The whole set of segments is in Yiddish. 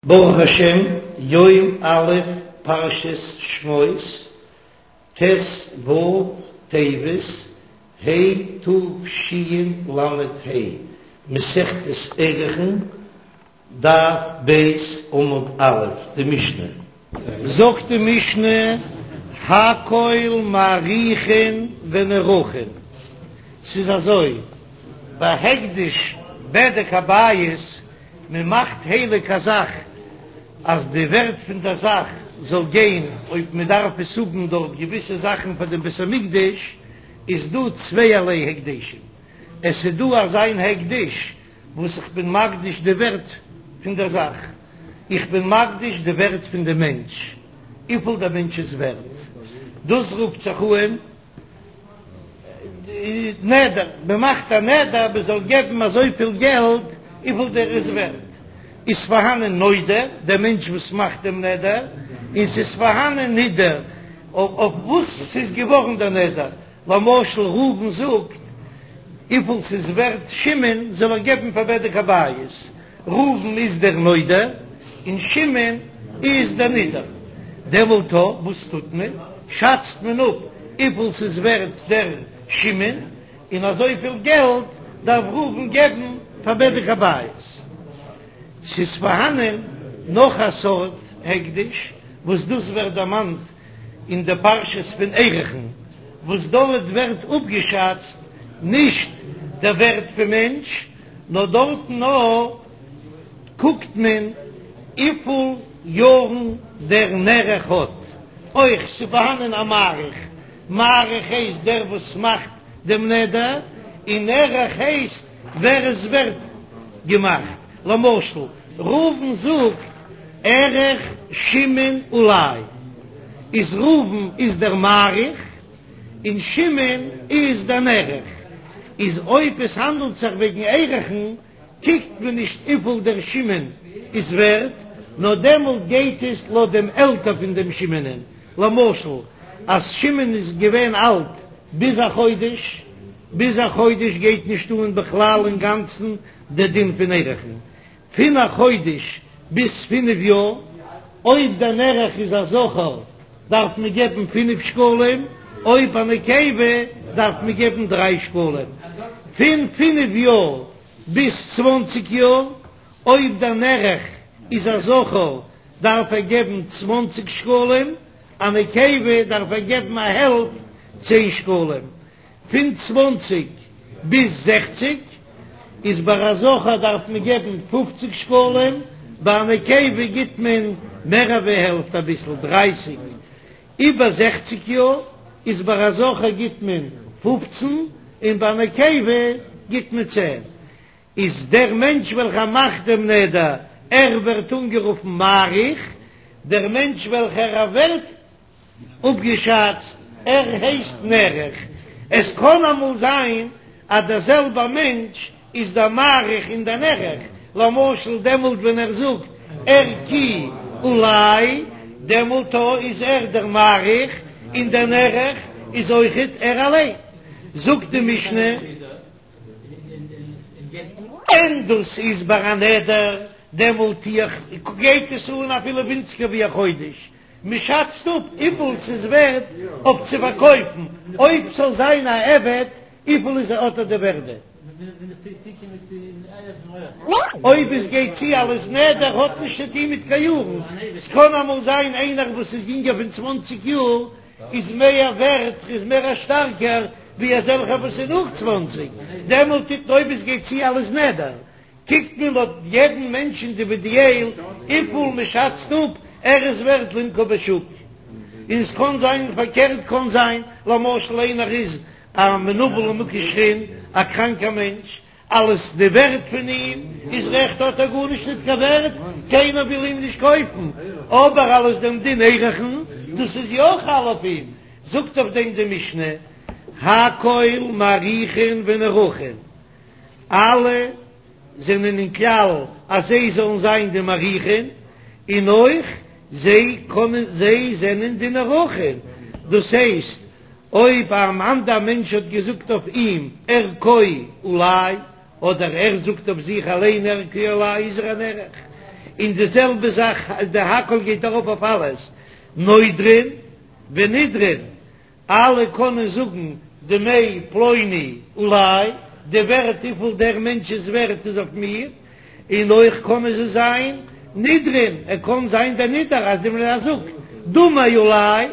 ברוך השם, יום א' פרשת שמות, ט ו טבת, ה' תשל ה, מסכת ערכין, דף ב' עמוד א', די משנה. זאגט די משנה, הכל מעריכין ונערכין, ס'איז אזוי, ביי הקדש בדק הבית, מען מאכט הייליג א זאך אז די ווערט פון דער זאך זאל גיין אויב מען דארף עס האבן דורך געוויסע זאכן פאר דעם בית המקדש, איז דא צווייערליי הקדשים, עס איז דא אזא מין הקדש וואס איך בין מקדיש די ווערט פון דער זאך, איך בין מקדיש די ווערט פון דעם מענטש, וויפיל דער מענטש איז ווערט, דאס רופט זיך אן. נדר, מען מאכט א נדר מען זאל געבן אזויפיל געלט וויפיל דער איז ווערט, איז פארהאנען נודר, דער מענטש וואס מאכט דעם נדר, און ס'איז פארהאנען נדר אויף וואס ס'איז געווארן דער נדר, למשל ראובן זאגט וויפיל ס'איז ווערט שמעון זאל ער געבן פאר בדק הבית, ראובן איז דער נודר און שמעון איז דער נדר, דעמאלט וואס טוט מען? שאצט מען אפ וויפיל ס'איז ווערט דער שמעון, און אזויפיל געלט דארף ראובן געבן פאר בדק הבית. ס'איז פארהאנען נאך א סארט הקדש וואס דאס ווערט דערמאנט אין די פרשת פון ערכין, וואס דארט ווערט אפגעשאצט נישט דער ווערט פון מענטש, נאר דארטן נאר קוקט מען וויפיל יארן דער נערך האט, אויך ס'פארהאנען א מעריך, מעריך הייסט דער וואס מאכט דעם נדר, און נערך הייסט ווער עס ווערט געמאכט, למשל ראובן זאגט ערך שמעון עלי, איז ראובן איז דער מעריך, און שמעון איז דער נערך, איז אויב עס האנדלט זיך וועגן ערכין, קוקט מען נישט וויפיל דער שמעון איז ווערט, נאר דעמאלט גייט עס לויט דעם עלטער פון דעם שמעונ'ען, למשל אז שמעון איז געווען אלט ביז א חודש, ביז א חודש גייט נישט אן בכלל אינגאנצן דער דין פון ערכין, פון א חודש ביז פינף יאר, אויב דער נערך איז א זכר דארף מען געבן פינף שקלים, אויב א נקבה דארף מען געבן דריי שקלים. פון פינף יאר ביז צוואנציג יאר, אויב דער נערך איז א זכר דארף ער געבן צוואנציג שקלים, א נקבה דארף ער געבן א העלפט, צען שקלים. פון צוואנציג ביז זעכציג איז ביי א זכר דארף מען געבן פופציג שקלים, ביי א נקבה גיט מען מער אווי העלפט אביסל, דרייסיג. איבער זעכציג יאר איז ביי א זכר גיט מען פופצן און ביי א נקבה גיט מען צען. איז דער מענטש וועלכער מאכט דעם נדר, ער ווערט אנגערופן מעריך, דער מענטש וועלכער ער ווערט אפגעשאצט, ער הייסט נערך. עס קען אמאל זיין אז דער זעלבער מענטש איז דער מעריך און דער נערך, למשל דעמאלט ווען ער זאגט ערכי עלי, דעמאלט איז ער דער מעריך און דער נערך איז אויכעט ער אליין. זאגט די משנה. און דאס איז ביי א נדר, דעמאלט גייט עס אן אפילו ווינציגער ווי א חודש, מען שאצט אפ וויפיל ס'איז ווערט אויף צו פארקויפן, אויב ס'זאל זיין א עבד, וויפיל איז האט ער די ווערדע. אויב עס גייט צו אלס נדר האט נישט צו טון מיט קיין יארן, ס'קען אמאל זיין איינער וואס איז יונגער פון צוואנציג יאר איז מער ווערט, איז מער א שטארקער ווי אזעלכער וואס איז נאך צוואנציג, דעמאלט טוט מען אויב עס גייט צו אלס נדר, קוקט מען לויט יעדן מענטש אינדיווידיעל וויפיל מען שאצט אפ ער איז ווערט למכור בשוק, און עס קען זיין פארקערט קען זיין למשל איינער איז א מנוול ומוכה שחין א קראנקער מענטש אלס די ווערט פון אים איז רעכט האט ער גארנישט ניט קיין ווערט קיינער וויל אים נישט קויפן אבער אלס דעם דין ערכין דאס איז יא חל אויף אים זאגט אויף דעם די משנה הכל מעריכין ונערכין. אלע זענען אין כלל אז זיי זאלן זיין די מעריכין, און אויך זיי קענען זיי זענען די נערכין, דאס הייסט אויב אן אנדער מענטש האט געזאגט אויף אים ערכו עלי, אדער ער זאגט אויף זיך אליין ערכי עלי איז ער א נערך. און די זעלבע זאך די הכל גייט ארויף אויף אלעס, נודרין ונידרין, אלע קענען זאגן דמי פלוני עלי, די ווערט וויפיל דער מענטש איז ווערט איז אויף מיר, און אויך קענען זיי זיין נידרין, ער קען זיין דער נידר אז ער זאגט דמי עלי,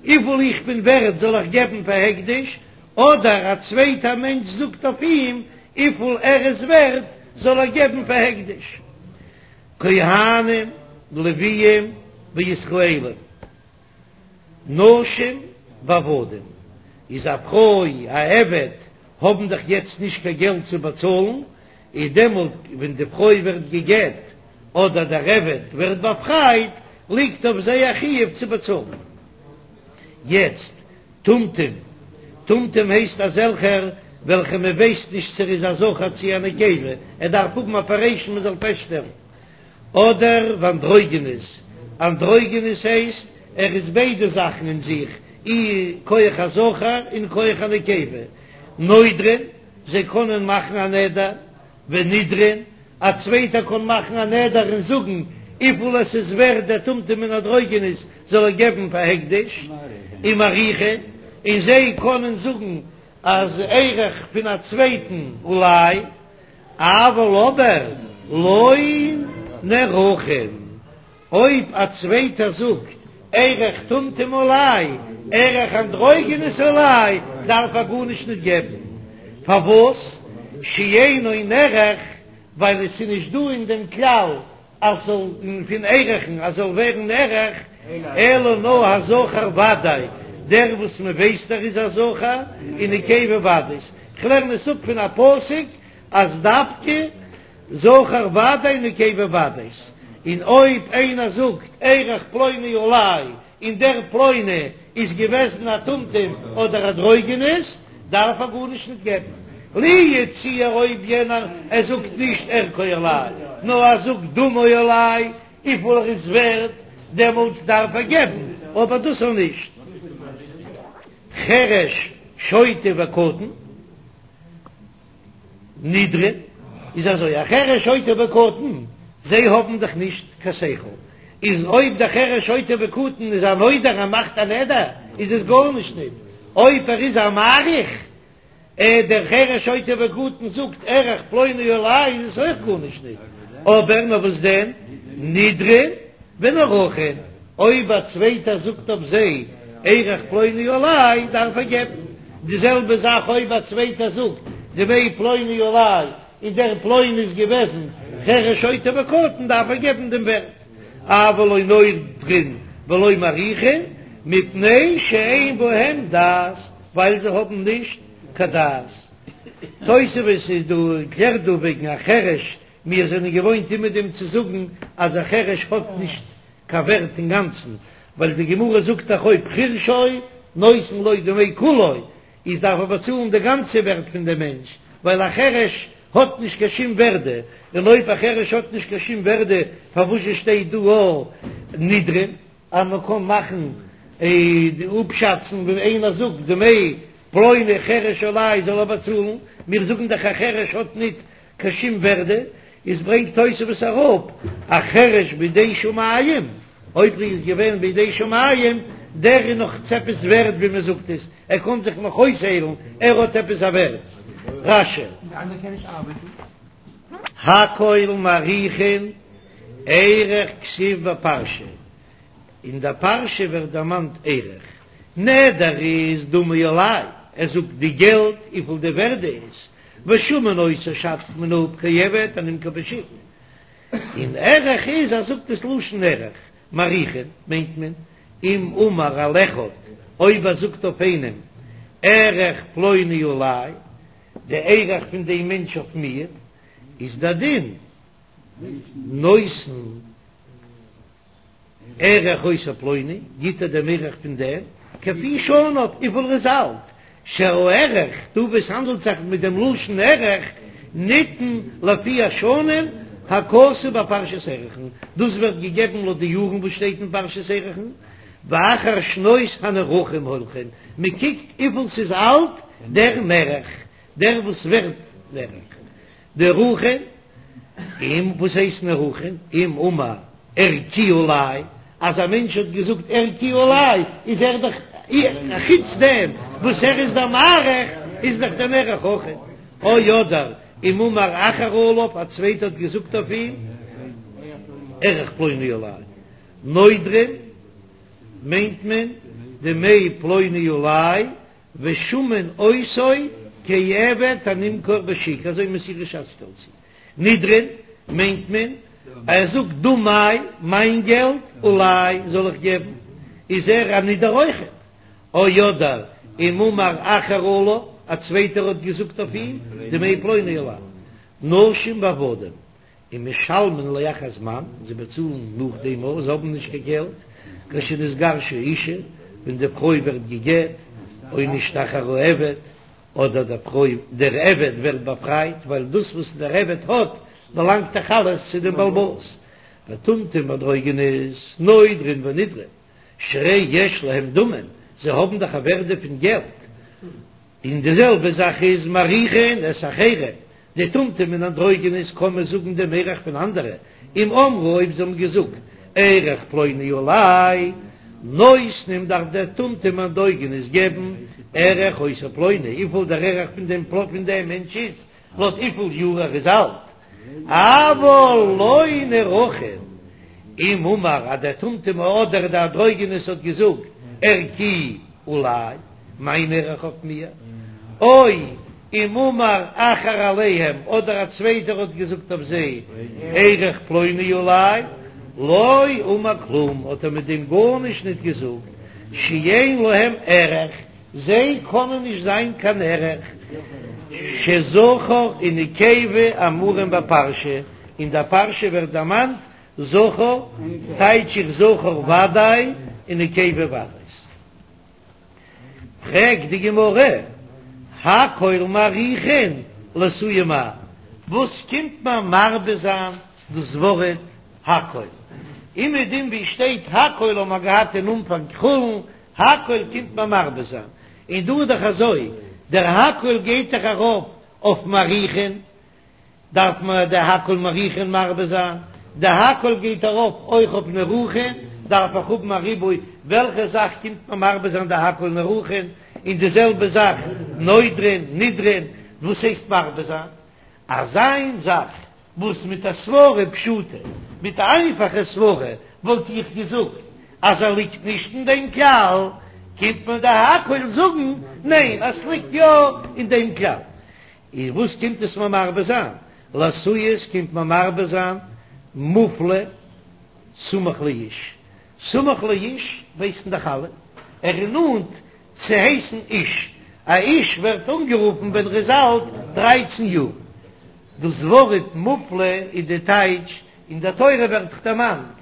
וויפיל איך בין ווערט זאל איך געבן פאר הקדש, אדער א צווייטער מענטש זאגט אויף אים וויפיל ער איז ווערט זאל ער געבן פאר הקדש. כהנים, לוויים וישראלים. נשים ועבדים, איז א פרוי א עבד האבן דאך יעצט נישט קיין געלט צו באצאלן, איז דעמאלט ווען די פרוי ווערט גע'גט אדער דער עבד ווערט באפרייט ליגט אויף זיי א חיוב צו באצאלן. יעצט טומטום, טומטום הייסט אזעלכער וועלכע מען ווייסט נישט צו ער איז א זכר צו א נקבה, ער דארף האבן אפערעישן מען זאל פעסטשטעלן. אדער ואנדרוגינוס, אנדרוגינוס הייסט ער איז ביידע זאכן אין זיך, אי כח הזכר און כח הנקבה, נודרין, זיי קענען מאכן א נדר, ונידרין, א צווייטער קען מאכן א נדר און זאגן וויפיל עס איז ווערט דער טומטום און אנדרוגינוס זאל ער געבן פאר הקדש, ומעריכין, און זיי קענען זאגן אז ערך פון א צווייטן עלי. אבל אבער לא נערכין, אויב א צווייטער זאגט ערך טומטום עלי, ערך אנדרוגינוס עלי, דארף ער גארנישט נישט געבן, פארוואס? שאינו נערך, ווייל עס איז נישט דא אין דעם כלל אז ס'זאל פון ערכין אז זאל ווערן נערך, אלא נאר הזכר ודאי, דער וואס מען ווייסט ער איז א זכר, און נקבה ודאית. כ'לערן עס אפ פון א פסוק אז דווקא זכר ודאי נקבה ודאית, און אויב איינער זאגט ערך פלוני עלי און דער פלוני איז געוועזן א טומטום אדער אנדרוגינוס, דארף ער גארנישט ניט געבן. לו יצוייר אויב יענער ער זאגט נישט ערכו עלי, נאר ער זאגט דמו עלי, וויפיל ער איז ווערט, דעמאלט דארף ער געבן, אבער דאס אויך נישט. חרש, שוטה וקטן. נידרין, איז אזוי, א חרש שוטה וקטן, זיי האבן דאך נישט קיין שכל, איז אויב דער חרש שוטה וקטן איז א נודר ער מאכט א נדר, איז עס גארנישט ניט, אויב ער איז א מעריך, ע דער חרש שוטה וקטן זאגט ערך פלוני עלי איז עס אויך גארנישט ניט, אבער נאר וואס דען, נידרין ונערכין. אויב א צווייטער זאגט אויף זיי ערך פלוני עלי דארף ער געבן, די זעלבע זאך אויב א צווייטער זאגט דמי פלוני עלי און דער פלוני איז געוועזן חרש שוטה וקטן דארף ער געבן דעם ווערט, אבל לא נודרין ולא מעריכין מפני שאין בהם דעת ווייל זיי האבן נישט קיין דעת. תוספות איז דא קלערט דא וועגן א חרש, מיר זענען געוואוינט אימער דעם צו זאגן אז א חרש האט נישט קיין ווערט אינגאנצן, ווייל די גמרא זאגט דאך אויב חרשו נותן לו דמי כולו, איז דארף ער באצאלן די גאנצע ווערט פון דעם מענטש, ווייל א חרש האט נישט קיין שום ווערדע, און אויב א חרש האט נישט קיין שום ווערדע פארוואזשע שטייט דא א נידרין אז מען קען מאכן די אפשאצן ווען איינער זאגט דמי פלוני חרש עלי זאל ער באצאלן, מיר זאגן דאך א חרש האט ניט קיין שום ווערדע, איז ברענגט תוספות אראפ א חרש בידי שמים, אויב ער איז געווען בידי שמים, דער איז נאך צו עפעס ווערד ווי מען זאגט עס, ער קען זיך נאך אויסהיילן, ער האט עפעס א ווערד. רש"י. הכל מעריכין ערך כתיב בפרשה, אין דער פרשה ווערט דערמאנט ערך, נדר איז דמי עלי, ער זאגט די געלט וויפיל די ווערדע איז, ושמין אותו שאצט מען אפ כעבד הנמכר בשוק, און ערך איז ער זאגט עס לשון ערך, מעריכין מיינט מען אם אמר על אחד אויב ער זאגט אויף איינעם ערך פלוני עלי, די ערך פון דעם מענטש אויף מיר, איז דער דין נותן. ערך אותו פלוני, גיט ער דעם ערך פון דעם, כפי שניו, וויפיל ער איז אלט, שהערך, דא וואו עס האנדלט זיך מיט דעם לשון ערך, ניתן לפי השנים הכתוב בפרשת ערכין, דאס ווערט געגעבן לויט די יארן וואס שטייט אין פרשת ערכין, ואחר שנות הנערכים הולכין, מען קוקט וויפיל ס'איז אלט דער נערך, דער וואס ווערט נערך, נערכין. אם, וואס הייסט נערכין? אם אמר ערכי עלי, אז א מענטש האט געזאגט ערכי עלי, איז ער דאך, חוץ דעם וואס ער איז דער מעריך, איז דאך דער נערך אויכעט. או אדער אם אמר אחר עליו, א צווייטער האט געזאגט אויף אים ערך פלוני עלי. נודרין מיינט מען דמי פלוני עלי ושמין אותו כעבד הנמכר בשוק, אזוי מסורת ש"ס שטעלט צו. נידרין מיינט מען ער זאגט דמי מיין געלט עלי זאל איך געבן, איז ער א נידער אויכעט. או אדער אם אמר אחר עליו, א צווייטער האט געזאגט אויף אים דמי פלוני עלי. נשים ועבדים ומשלמין לאחר זמן, זיי באצאלן נאכדעם אויך, זיי האבן נישט קיין געלט, כשנתגרשה האשה, ווען די פרוי ווערט גע'גט, או נשתחרר העבד, אדער דער פרוי, דער עבד ווערט באפרייט, ווייל דאס וואס דער עבד האט, באלאנגט דאך אלעס צו דעם בעל הבית. וטומטום ואנדרוגינוס, נודרין ונידרין, שהרי יש להם דמים, זיי האבן דאך א ווערדע פון געלט, און די זעלבע זאך איז מעריכין את האחרים, די טומטום און אנדרוגינוס קען מען זאגן דעם ערך פון אנדערע, אם אמרו אויב זיי האבן געזאגט ערך פלוני עלי, נותנים דארף דער טומטום אנדרוגינוס געבן ערך אותו פלוני, וויפיל דער ערך פון דעם פון דעם מענטש איז, לויט וויפיל יאר ער איז אלט, אבל לא נערכין, אם אמר אז דער טומטום אדער דער אנדרוגינוס האט געזאגט ערכי עלי, מיין ערך אויף מיר, או אם אמר אחר עליהם, אדער א צווייטער האט געזאגט אויף זיי, ערך פלוני עלי, לא אמר כלום, האט ער מיט דעם גארנישט ניט געזאגט, שאין להם ערך, זיי קענען נישט זיין קיין ערך, שזכר ונקבה אמורים בפרשה, אין דער פרשה ווערט דערמאנט זכר, טייטש איך זכר ודאי און נקבה ודאי. פרעגט די גמרא, הכל מעריכין לאתויי מאי, וואס קומט מען מרבה זיין דאס ווארט הכל? אומעדום ווי שטייט הכל האט מען געהאט אין אנפאנג חולין, הכל קומט מען מרבה זיין, און דא איז דאך אזוי, דער הכל גייט דאך ארויף אויף מעריכין, דארף מען די הכל מעריכין מרבה זיין, די הכל גייט ארויף אויך אויף נערכין, דארף איך האבן א ריבוי, וועלכע זאך קומט מען מרבה זיין די הכל נערכין, און די זעלבע זאך נודרין, נידרין, וואס הייסט מרבה זיין? אזא איין זאך וואס מיט א סברה פשוטה, מיט א איינפאכע סברה וואלט איך געזאגט אז ער ליגט נישט אין דעם כלל, קומט מען די הכל זאגן ניין אז ס'ליגט יא אין דעם כלל. איז וואס קומט עס מיר מרבה זיין? לאתויי קומט מיר מרבה זיין מופלא סמוך לאיש, סמוך לאיש ווייסן דאך אלע, ער איז נאנט צו הייסן איש, א איש ווערט אנגערופן ווען ער איז אלט דרייצן יאר, דאס ווארט מופלא איז די טייטש, אין דער תורה ווערט דאך דערמאנט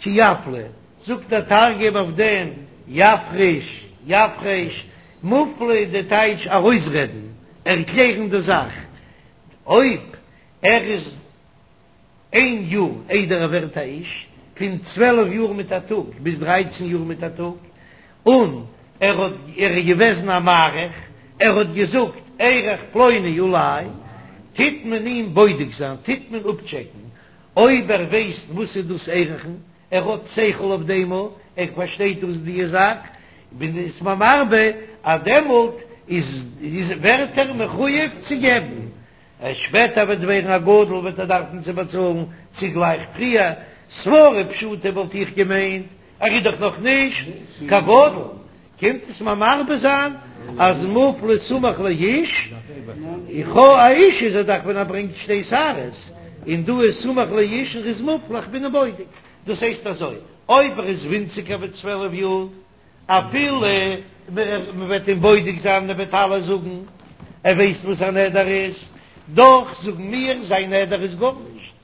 כי יפלא, זאגט דער תרגום אויף דעם יפריש, יפרש, מופלא איז די טייטש ארויסרעדן, ערקלערן די זאך, אויב ער איז איין יאר איידער ער ווערט א איש, פון צוועלף יאר מיט א טאג ביז דרייצן יאר מיט א טאג, און ער האט ער איז געוועזן א מעריך, ער האט געזאגט ערך פלוני עלי, טוט מען אים בודק זיין, טוט מען אפטשעקן אויב ער ווייסט וואס איז דאס ערכין, ער האט שכל אויף דעם, ער פארשטייט דאס די זאך, בין איז מען מרבה אז דעמאלט איז איז ווערט ער מחויב צו געבן, ער שפעטער וועט ווערן א גדול וועט ער דארפן צו באצאלן צוגלייך פריער, סברה פשוטה וואלט איך געמיינט ער איז דאך נאך נישט קיין גדול, קומט עס מיר מרבה זיין אז מופלא סמוך לאיש, איך הא א איש איז ער דאך ווען ער ברענגט שתי שערות, און דא איז סמוך לאיש און ר'איז מופלא איך בין אים בודק, דאס הייסט אזוי אויב ער איז ווינציגער ווי צוועלף יאר אפילו מ'וועט אים בודק זיין און ער וועט אלעס זאגן ער ווייסט וואס א נדר איז, דאך זאגן מיר זיין נדר איז גארנישט.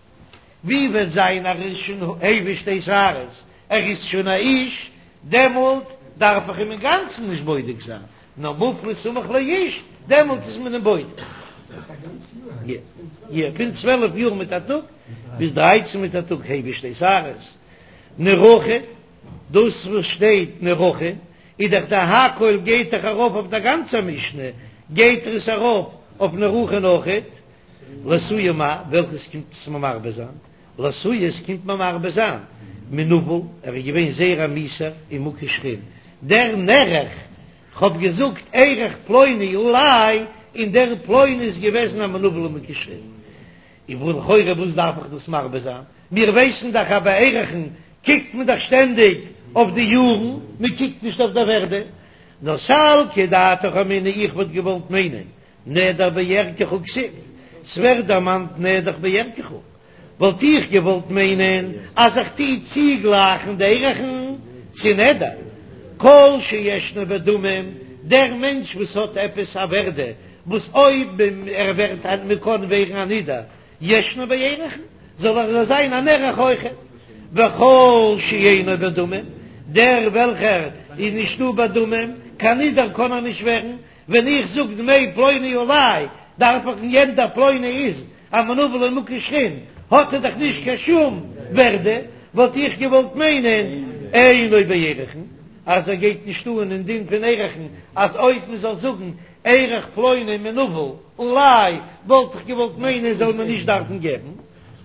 ווי וועט זיין ער איז שוין הביא שתי שערות, ער איז שוין א איש, דעמאלט דארף איך אים אינגאנצן נישט בודק זיין, נאר מופלא סמוך לאיש, דעמאלט איז מען אים בודק. יא, פון צוועלף יאר מיט א טאג ביז דרייצן מיט א טאג הביא שתי שערות. נערכין, דאס וואס שטייט נערכין, איז דאך די הכל גייט דאך ארויף אויף די גאנצע משנה, גייט עס ארויף אויף נערכין אויכעט. לאתויי מאי, וועלכעס קומט עס מיר מרבה זיין? לאתויי עס קומט מיר מרבה זיין מנוול, ער איז געווען זייער א מיאוסער ומוכה שחין, דער נערך, כ'האב געזאגט ערך פלוני עלי, און דער פלוני איז געוועזן א מנוול ומוכה שחין. און וואו לכאורה וואס דארף איך דאס מרבה זיין? מיר ווייסן דאך אז ביי ערכין קוקט מען דאך שטענדיג אויף די יארן, מען קוקט נישט אויף די ווערדע. נאר סלקא דעתך אמינא איך וואלט געוואלט מיינען נדר בערכך כתיב, ס'ווערט דערמאנט נדר בערכך, וואלט איך געוואלט מיינען אז איך טו צוגלייכן די ערכין צו נדר, כל שישנו בדמים, דער מענטש וואס האט עפעס א ווערדע וואס אויב ער ווערט א מען קען ווערן א נידור, ישנו בערכין, זאל ער זיין אן ערך אויכעט, וכל שאינו בדמים, דער וועלכער איז נישטא בדמים, קיין נידור קען ער נישט ווערן, ווען איך זאג דמי פלוני עלי, דארף איך יענעם דער פלוני איז א מנוול ומוכה שחין, האט ער דאך נישט קיין שום ווערדע, וואלט איך געוואלט מיינען אינו בערכין, אז ער גייט נישט אן אין דין פון ערכין, אז אויב מען זאל זאגן ערך פלוני מנוול עלי, וואלט איך געוואלט מיינען זאל מען נישט דארפן געבן,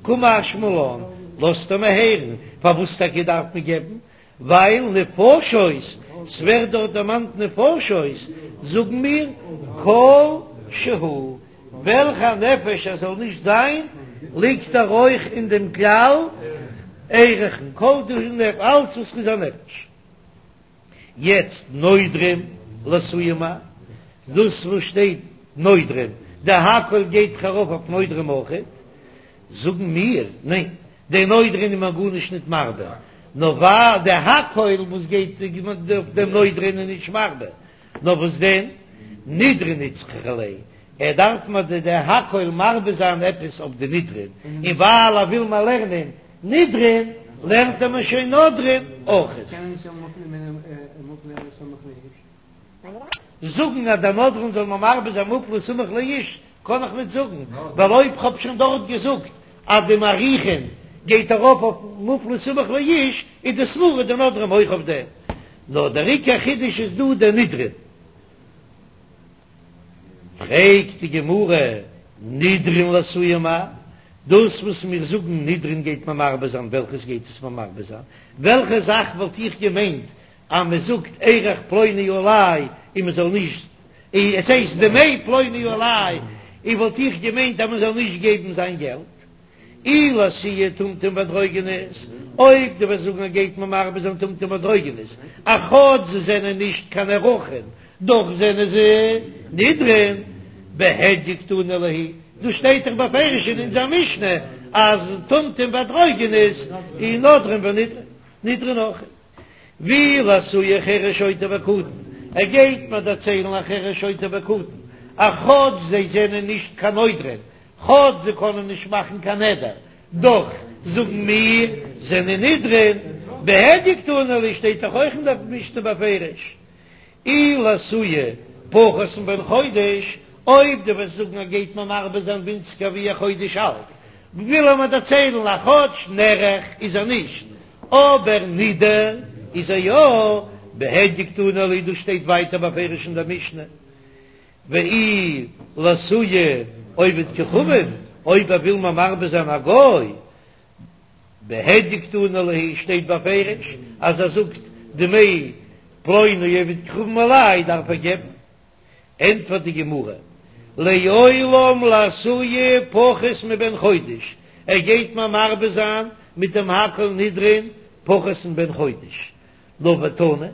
קא משמע לן, לאזט ער מיר הערן, פארוואס טאקע דארף מען געבן? ווייל נפשות, ס'ווערט דארט דערמאנט נפשות, זאגן מיר כל שהוא, וועלכע נפש ער זאל נישט זיין, ליגט ער אויך אין דעם כלל ערכין, כל דהו, אלץ וואס איז א נפש. יעצט נודרים לאתויי מאי, דאס וואס שטייט נודרים, די הכל גייט דאך ארויף אויף נודרים אויכעט, זאגן מיר, ניין, די נודרין איז מען גארנישט ניט מרבה, נאר ווייל די הכל וואס גייט אויף דעם נודרין איז נישט מרבה, נאר וואס דען, נידרין איצטריכא ליה, ער דארף מיר די די הכל מרבה זיין עפעס אויף די נידרין, און ווייל ער וויל מיר לערנען נידרין, לערנט ער מיר שוין נודרין אויכעט. זאגן אז דער נודרין זאל מיר מרבה זיין מופלא סמוך לאיש קען איך ניט זאגן, ווייל אויב כ'האב שוין דארט געזאגט אז די מעריכין גייט ארויף אויף מופלא סמוך לאיש, איז די סברא די נודרים אויך אויף דעם. נאר דער עיקר חידוש איז דא דער נידרין. פרעגט די גמרא, נידרין לאתויי מאי? דאס וואס מיר זאגן נידרין גייט מען מרבה זיין, וועלכעס גייט עס מיר מרבה זיין? וועלכע זאך וואלט איך געמיינט אז מען זאגט ערך פלוני עלי און מען זאל נישט, עס הייסט דמי פלוני עלי, און וואלט איך געמיינט אז מען זאל נישט געבן זיין געלט. אי לאתויי טומטום ואנדרוגינוס, אויב דו וועסט זאגן אז גייט מען מרבה זיין טומטום ואנדרוגינוס, אז כאטש זיי זענען נישט קיין ערכין, דאך זענען זיי נידרין, בהדיא קתני להו, דא שטייט דאך בפירוש אין אונזער משנה אז טומטום ואנדרוגינוס איז נודרין ונידרין, נידרין אויך. ואי לאתויי חרש שוטה וקטן, ער גייט מיר דערציילן א חרש שוטה וקטן, אז כאטש זיי זענען נישט קיין נודרין, כאטש זיי קענען נישט מאכן קיין נדר, דאך זאגן מיר זענען נידרין, בהדיא קתני להו שטייט דאך אויך אין דער משנה בפירוש. אי לאתויי פחות מבן חודש, אויב דו וועסט זאגן אז גייט מען מרבה זיין ווינציגער ווי א חודש אלט, וויל ער מיר דערציילן אז כאטש נערך איז ער נישט, אבער נידר איז ער יא, בהדיא קתני להו דאס שטייט ווייטער בפירוש אין דער משנה, ואי לאתויי עובד כוכבים, אויב ער וויל מיר מרבה זיין א גוי, בהדיא קתני להו שטייט בפירוש אז ער זאגט דמי פלוני עובד כוכבים עלי דארף ער געבן, ענטפערט די גמרא, לעולם לאתויי פחות מבן חודש, ער גייט מיר מרבה זיין מיט דעם הכל נידרין פחות מבן חודש, נאר ותנא,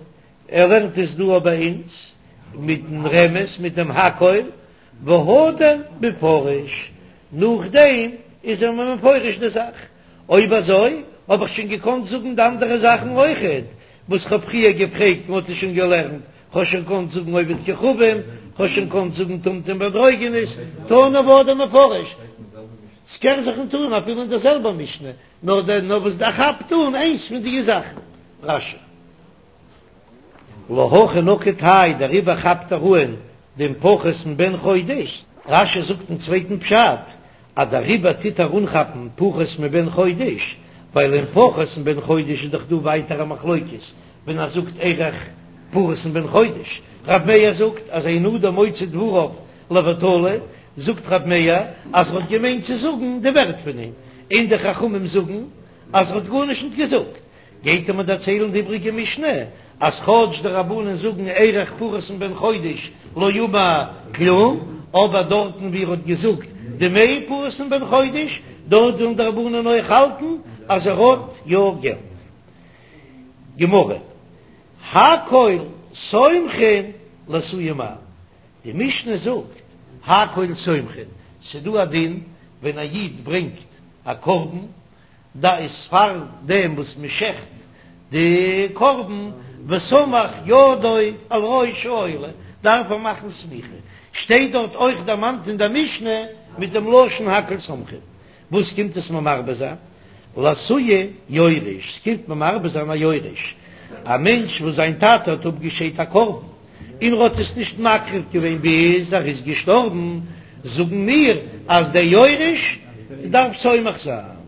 ער לערנט עס דא ביי אונז מיטן רמז מיט דעם הכל, והדר מפרש, נאכדעם איז ער מיר מפרש די זאך. אויב אזוי האב איך שוין געקאנט זאגן די אנדערע זאכן אויכעט וואס כ'האב פריער געפרעגט, מ'האט עס שוין געלערנט, כ'האב שוין געקאנט זאגן עובד כוכבים, כ'האב שוין געקאנט זאגן טומטום ואנדרוגינוס, תנא והדר מפרש. ס'קען זיך נישט טון אפילו אין דער זעלבער משנה, נאר דער נאר וואס דער כאפט אן איינס פון די זאכן. רש"י. להכי נקט האי, דעריבער כאפט ער אן דעם פחות מבן חודש. רש"י זאגט אין צווייטן פשט אז דעריבער טוט ער אנכאפן פחות מבן חודש, ווייל אין פחות מבן חודש איז דאך דא ווייטער א מחלוקת ווען ער זאגט ערך פחות מבן חודש, רב מאיר זאגט אז אין אדם מוציא דבריו לבטלה. זאגט רב מאיר אז ער האט געמיינט צו זאגן די ווערט פון אים, און די חכמים זאגן אז ער האט גארנישט ניט געזאגט. גייט ער מיר דערציילן די איבריגע משנה אז כאטש די רבנן זאגן ערך פחות מבן חודש לא אמר כלום, אבער דארטן ווי ער האט געזאגט דמי פחות מבן חודש, דארט וועלן די רבנן אויך האלטן אז ער האט יא געלט. גמרא, הכל סומכין לאתויי מאי? די משנה זאגט הכל סומכין, ס'דא א דין ווען א איד ברענגט א קרבן, דא איז פאר דעם וואס מען שעכט די קרבן, וסמך ידו על ראש העולה, דארף ער מאכן סמיכה, שטייט דארט אויך דערמאנט אין דער משנה מיט דעם לשון הכל סומכין, וואס קומט עס מיר מרבה זיין? לאתויי יורש, ס'קומט מיר מרבה זיין א יורש, א מענטש וואס זיין טאטע האט אפגעשיידט א קרבן, און ער האט עס נישט מקריב געווען ביז ער איז געשטארבן, זאגן מיר אז דער יורש דארף סומך זיין,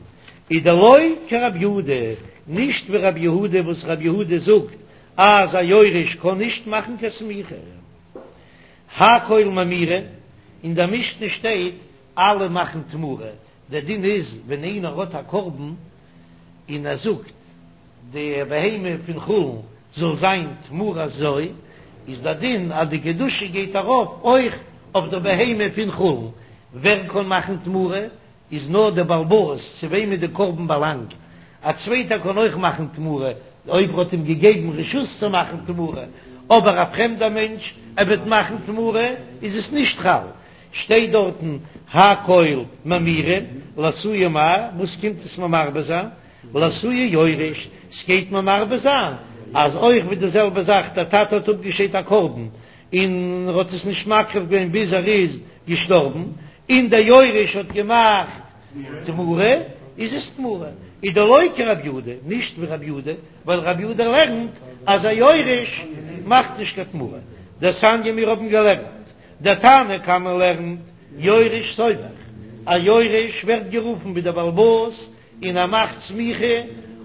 איז דלא כרב יהודה, נישט ווי רב יהודה וואס רב יהודה זאגט אז א יורש קען נישט מאכן קיין סמיכה. הכל ממירין, אין דער משנה שטייט אלע מאכן תמורה, דער דין איז ווען איינער האט א קרבן און ער זאגט די בהמה פון חולין זאל זיין תמורת זו, איז דער דין אז די קדושה גייט ארויף אויך אויף דער בהמה פון חולין, ווער קען מאכן תמורה? איז נאר דער בעל הבית צו וועמען די קרבן באלאנגט, א צווייטער קען אויך מאכן תמורה אויב ער האט אים געגעבן רשות צו מאכן תמורה, אבער א פרעמדער מענטש ער וועט מאכן תמורה איז עס נישט חל, שטייט דארטן הכל ממירין לאתויי מאי, וואס קומט עס מיר מרבה זיין? לאתויי יורש, ס'גייט מיר מרבה זיין אז אויך ווי די זעלבע זאך דער טאטע האט אפגעשיידט א קרבן און ער האט עס נישט מקריב געווען ביז ער איז געשטארבן, און דער יורש האט געמאכט תמורה, איז עס תמורה, איז דלא כרב יהודה, נישט ווי רב יהודה, ווייל רב יהודה לערנט אז א יורש מאכט נישט קיין תמורה, דתניא מיר האבן געלערנט, דער תנא קמא לערנט יורש סומך, א יורש ווערט גערופן ווי דער בעל הבית און ער מאכט סמיכה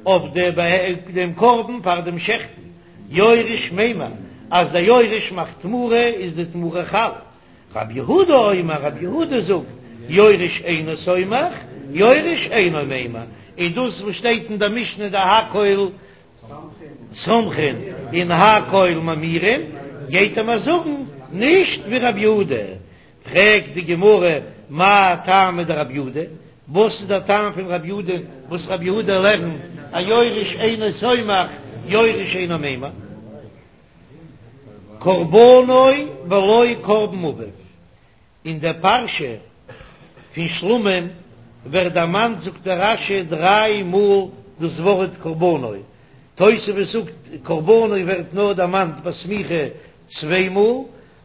אויף דעם קרבן פאר דעם שעכטן, יורש ממיר, אז דער יורש מאכט תמורה איז די תמורה חל. רב יהודה אומר, רב יהודה זאגט, יורש אינו סומך, יורש אינו ממיר, און דאס וואס שטייט אין דער משנה דהכל סומכין און הכל ממירין, גייט ער מיר זאגן נישט ווי רב יהודה. פרעגט די גמרא, מאי טעמא דרב יהודה, וואס איז דער טעם פון רב יהודה וואס רב יהודה לערנט א יורש אינו סומך יורש אינו ממיר? קרבנו ולא קרבן אביו, אין דער פרשה פון שלמים ווערט דערמאנט זאגט דער רש"י דריי מאל דאס ווארט קרבנו, תוספות זאגט קרבנו ווערט נאר דערמאנט ביי סמיכה צוויי מאל,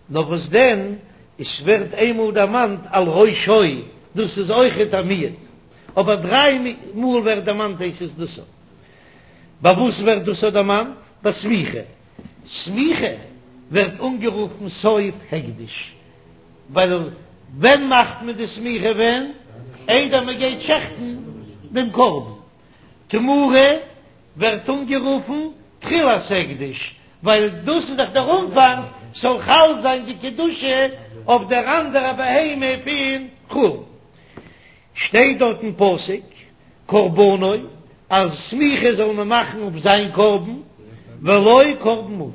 נאר וואס דען, עס ווערט איינמאל דערמאנט על ראשו, דאס איז אויכעט א מיעוט, אבער דריי מאל ווערט דערמאנט הייסט עס דאס. ביי וואס ווערט דאס דערמאנט? ביי סמיכה. סמיכה ווערט אנגערופן סוף הקדש, ווייל ווען מאכט מען די סמיכה? ווען איידער מען גייט שעכטן דעם קרבן. תמורה ווערט אנגערופן תחילת הקדש, ווייל דאס איז דאך דער אנפאנג, ס'זאל חל זיין די קדושה אויף דער אנדערע בהמה פון חולין. שטייט דארט אין פסוק קרבנו אז סמיכה זאל מען מאכן אויף זיין קרבן, ולא קרבן אביו,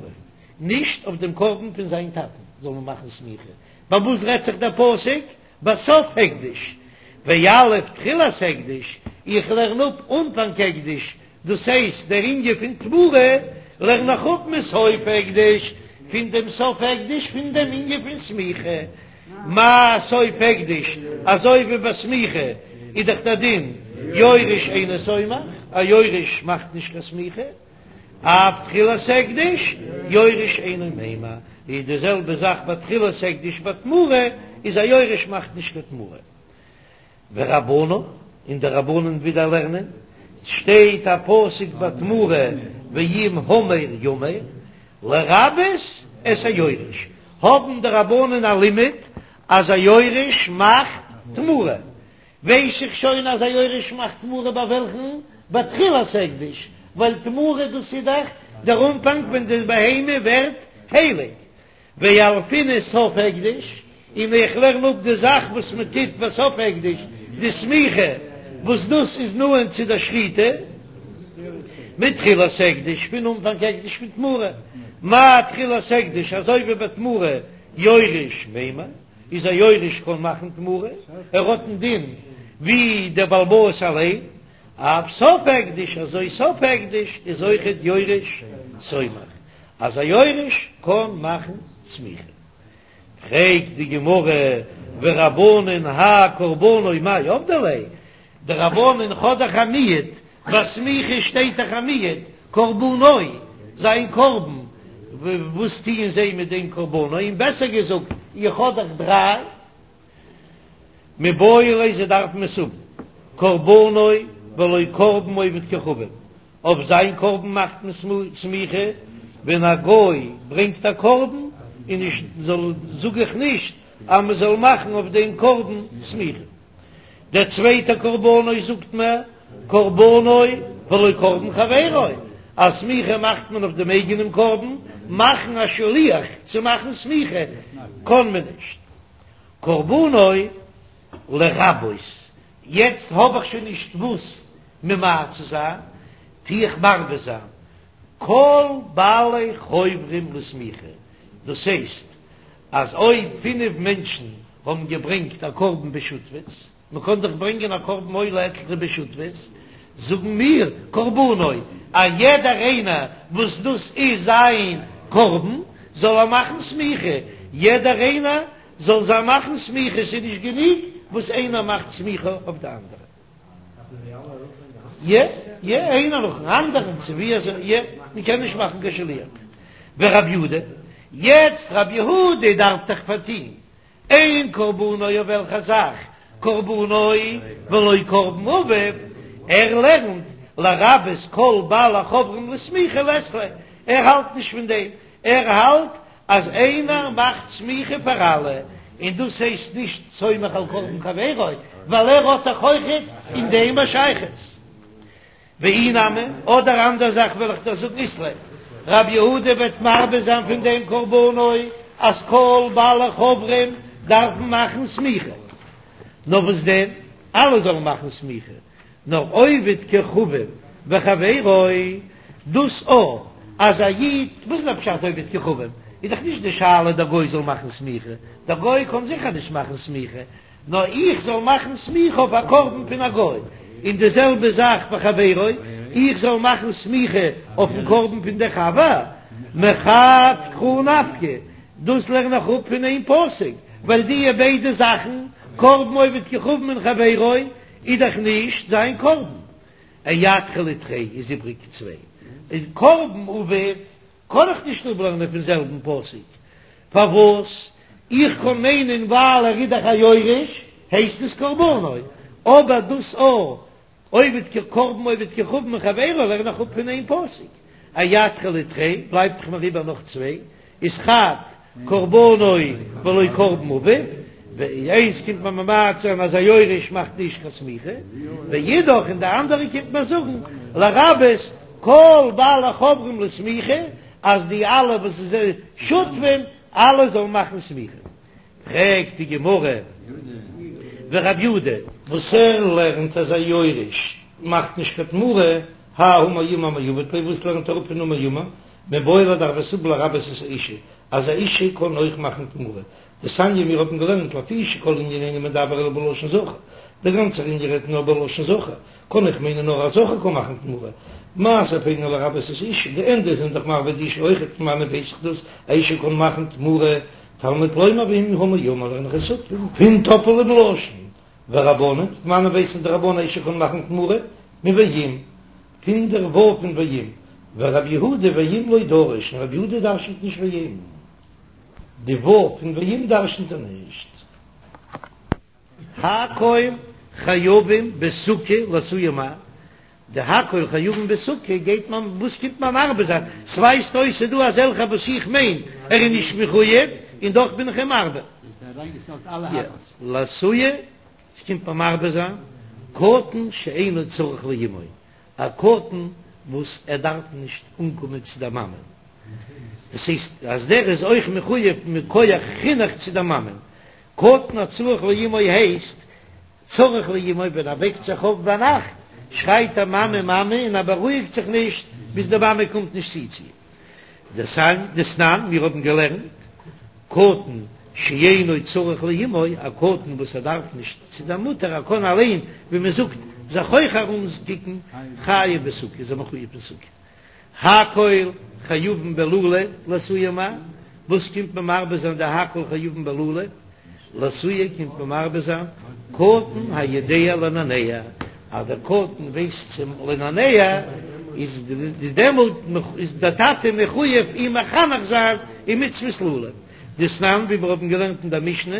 נישט אויף דעם קרבן פון זיין טאטן זאל מען מאכן סמיכה, ביי וואס רעדט זיך דער פסוק? בסוף הקדש, ויליף תחילת הקדש, איך לערן אפ אנפאנג הקדש, דאס הייסט דער ענין פון תמורה לערן איך אפ מסוף הקדש, פון דעם סוף הקדש פון דעם ענין פון סמיכה, מה סוף הקדש, אזוי ווי ביי סמיכה איז דאך דער דין יורש אינו סומך, א יורש מאכט נישט קיין סמיכה, אף תחילת הקדש יורש אינו ממיר, איז די זעלבע זאך ביי תחילת הקדש ביי תמורה, איז א יורש מאכט נישט קיין תמורה. ורבנן, און די רבנן ווידער לערנען, שטייט א פסוק ביי תמורה ואם המר ימיר, לרבות את היורש, האבן די רבנן א לימוד אז א יורש מאכט תמורה, ווייס איך שוין אז א יורש מאכט תמורה ביי וועלכן? ביי תחילת הקדש, ווייל תמורה דאס איז דאך דער אנפאנג ווען די בהמה ווערט הייליג, וילפינן סוף הקדש. און איך לערן אפ די זאך וואס מען טוט בסוף הקדש, די סמיכה, וואס דאס איז נאענט צו דער שחיטה, מתחילת הקדש, פון אנפאנג הקדש פון תמורה, מה תחילת הקדש, אזוי ווי ביי תמורה, יורש מימר, איז א יורש קען מאכן תמורה, ער האט דעם דין ווי דער בעל הבית אליין, אף סוף הקדש, אזוי סוף הקדש איז אויכעט יורש סומך, אז א יורש קען מאכן סמיכה. פרעגט די גמרא, ורבנן האי קרבנו מאי עבדי ליה, די רבנן האט דאך א מיעוט, ביי סמיכה שטייט דאך א מיעוט, קרבנו, זיין קרבן, וואס טוען זיי מיט דעם קרבנו, און בעסער געזאגט, איך האב דאך דריי. מיבעי ליה זיי דארפן עס האבן, קרבנו ולא קרבן עובד כוכבים, אויף זיין קרבן מאכט מען סמיכה, ווען א גוי ברענגט א קרבן און נישט זאל זאג איך נישט אז מען זאל מאכן אויף דעם קרבן סמיכה. דער צווייטער קרבנו זאגט מען קרבנו ולא קרבן חברו, אז סמיכה מאכט מען אויף דעם אייגענעם קרבן, מאכן א שליח צו מאכן סמיכה קען מען נישט. קרבנו לרבות, יעצט האב איך שוין נישט וואס ממעט צו זיין, טו איך מרבה זיין כל בעלי חוברים לסמיכה, דאס הייסט אז אויב פינף מענטשן האבן געברענגט א קרבן בשותפות, מען קען דאך ברענגען א קרבן עולה עטליכע בשותפות, זאגן מיר קרבנו, א יעדער איינער וואס דאס איז זיין קרבן זאל ער מאכן סמיכה, יעדער איינער זאל זיי מאכן סמיכה, ס'איז נישט גענוג וואס איינער מאכט סמיכה אויף די אנדערע. יע, יע, איינער נאכן אנדערן, צו ווי אזוי, יע, מען קען נישט מאכן קיין שליח. ורב יהודה, יעצט רב יהודה דארף דאך פארטוהן אין קרבנו אויף וועלכע זאך קרבנו ולא קרבן אביו, ער לערנט לרבות כל בעלי חוברים לסמיכה לית ליה, ער האלט נישט פון דעם, ער האלט אז איינער מאכט סמיכה פאר אלע, און דאס הייסט נישט סומך על קרבן חברו, ווייל ער האט דאך אויכעט אין דעם א שייכות. ואי נמי, אדער אנדער זאך וועל איך דיר זאגן אית ליה, רב יהודה וועט מרבה זיין פון דעם קרבנו אז כל בעלי חוברים דארפן מאכן סמיכה, נאר וואס דען אלע זאלן מאכן סמיכה, נאר עובד כוכבים וחבירו, דאס א אז א איד, וואס איז דער פשט עובד כוכבים? איז דאך נישט די שאלה דער גוי זאל מאכן סמיכה, דער גוי קען זיכער נישט מאכן סמיכה, נאר איך זאל מאכן סמיכה אויף א קרבן פון א גוי, און די זעלבע זאך וחבירו, איך זאל מאכן סמיכה אויפן קרבן פון דער חבר, מחד קרא נפקא, דאס לערן איך אפ פון איין פסוק, ווייל דיע ביידע זאכן, קרבן עובד כוכבים און חברו, איז דאך נישט זיין קרבן. אייעדרא לתרי איז איבריג צוויי, און קרבן אביו קען איך נישט אפלערנען פון זעלבן פסוק, פארוואס? איך קען מיינען ווייל ער איז דאך א יורש הייסט עס קרבנו, אבער דאס א עובד כ קרבן עובד כוכבים וחבירו לערן איך אפ פון איין פסוק, אייעדרא לתרי בלייבט דאך מיר איבער נאך צוויי, איז חד קרבנו ולא קרבן אביו, איינס קומט מען ממעט זיין אז א יורש מאכט נישט קיין סמיכה, ואידך און די אנדערע קומט מען זאגן לרבות כל בעלי חוברים לסמיכה אז די אלע וואס זענען שותפים אלע זאלן מאכן סמיכה. פרעגט די גמרא ורב יהודה. וואס ער לערנט אז א יורש מאכט נישט קיין תמורה, האי המור ימר מאי עביד ליה, וואס לערנט ער אפ פון המור ימר? מיבעי ליה דארף עס האבן לרבות את האשה, אז א אישה קען אויך מאכן תמורה. דתניא מיר האבן געלערנט לפי שכל ענין אינו מדבר אלא בלשון זכר, דער גאנצער ענין רעדט נאר בלשון זכר, קען איך מיינען נאר א זכר קען מאכן תמורה, מה ספינו לרבות את האשה, די ענדע זענען דאך מרבה די אישה אויכעט, פון וואנען ווייס איך דאס, א אישה קען מאכן תמורה, תלמוד לומר ואם המור ימר לערן איך עס אפ פון טאפעלעם לשון, ורבנן, פון וואנען ווייסן די רבנן א אישה קען מאכן תמורה, מואם. פון דער וואו פון ואם, ורב יהודה ואם לא דריש, און רב יהודה דרשנט נישט ואם, די וואו פון ואם דרשנט ער נישט. הכל חייבים בסוכה לאתויי מאי, די הכל חייבים בסוכה גייט מען, וואס קומט מען מרבה זיין, ס'ווייזט אויס ס'איז דא אזעלכע וואס איך מיין ער איז נישט מחוייב און דאך בין איך אים מרבה. לאתויי ס'קומט מען מרבה זיין, קטן שאינו צריך לאמו, א קטן וואס ער דארף נישט אנקומען צו דער מאמע, דאס הייסט אז דער איז אויך מחויב מכח חינוך צו דער מאמע. קטן הצריך לאמו הייסט צריך לאמו ווען ער וועקט זיך אויף ביינאכט שרייט ער מאמע מאמע און ער בארואיגט זיך נישט ביז די מאמע קומט נישט צו צו אים. דתנן, מיר האבן געלערנט, קטן שאינו צריך לאמו, א קטן וואס ער דארף נישט צו דער מוטער, ער קען אליין, ווי מען זאגט, זיך אויך ארומקוקן, חייב בסוכה, איז ער מחויב אין סוכה. הכל חייבין בלולב, לאתויי מאי, וואס קומט מען מרבה זיין די הכל חייבין בלולב? לאתויי קומט מען מרבה זיין קטן היודע לנענע, אז דער קטן ווייסט צו לנענע, איז דעמאלט איז דער טאטע מחויב אים מחנך זיין אין מצוות לולב, דתנן ווי מיר האבן געלערנט אין דער משנה,